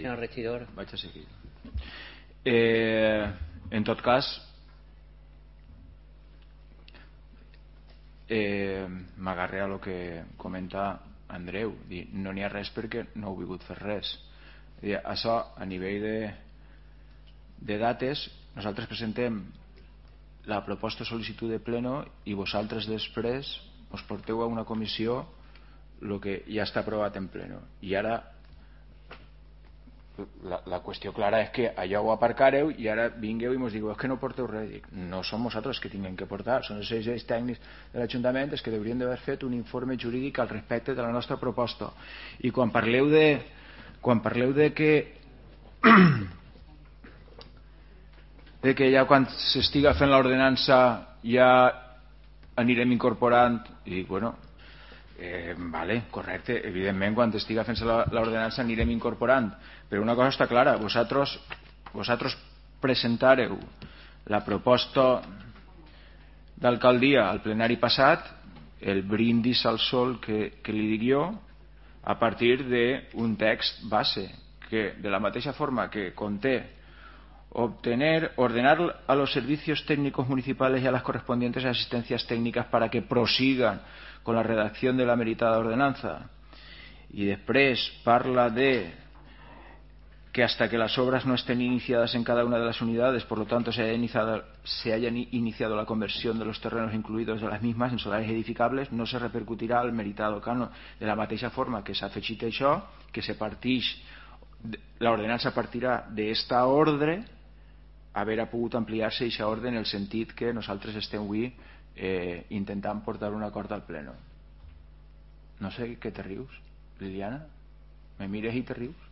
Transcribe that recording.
senyor regidor. Vaig a seguir. En tot cas, m'agarré a lo que comenta Andreu, no n'hi ha res perquè no heu volgut fer res. Això a nivell de dates, nosaltres presentem la proposta de sol·licitud de pleno i vosaltres després us porteu a una comissió el que ja està aprovat en pleno, i ara la qüestió clara és que allò ho aparcareu i ara vingueu i mos digueu és que no porteu res. Dic, no som nosaltres que tinguem que portar, són els serveis tècnics de l'Ajuntament els que haurien d'haver fet un informe jurídic al respecte de la nostra proposta. I quan parleu de que ja quan s'estiga fent l'ordenança ja anirem incorporant, i dic, bueno, vale, correcte, evidentment quan estiga fent-se l'ordenança anirem incorporant, però una cosa està clara, vosaltres presentareu la proposta d'alcaldia al plenari passat, el brindis al sol que li dic jo, a partir d'un text base que de la mateixa forma que conté ordenar a los servicios técnicos municipales y a las correspondientes asistencias técnicas para que prosigan con la redacción de la meritada ordenanza, y després parla de que hasta que las obras no estén iniciadas en cada una de las unidades, por lo tanto se haya iniciado la conversión de los terrenos incluidos de las mismas en solares edificables, no se repercutirà al meritado canon. De la mateixa forma que s'ha afegit això, que se partix, l'ordenança partirà d'esta ordre, haver pogut ampliar-se aquesta ordre en el sentit que nosaltres estem avui intentant portar un acord al pleno. No sé què te rius, Liliana? Me mires i te rius?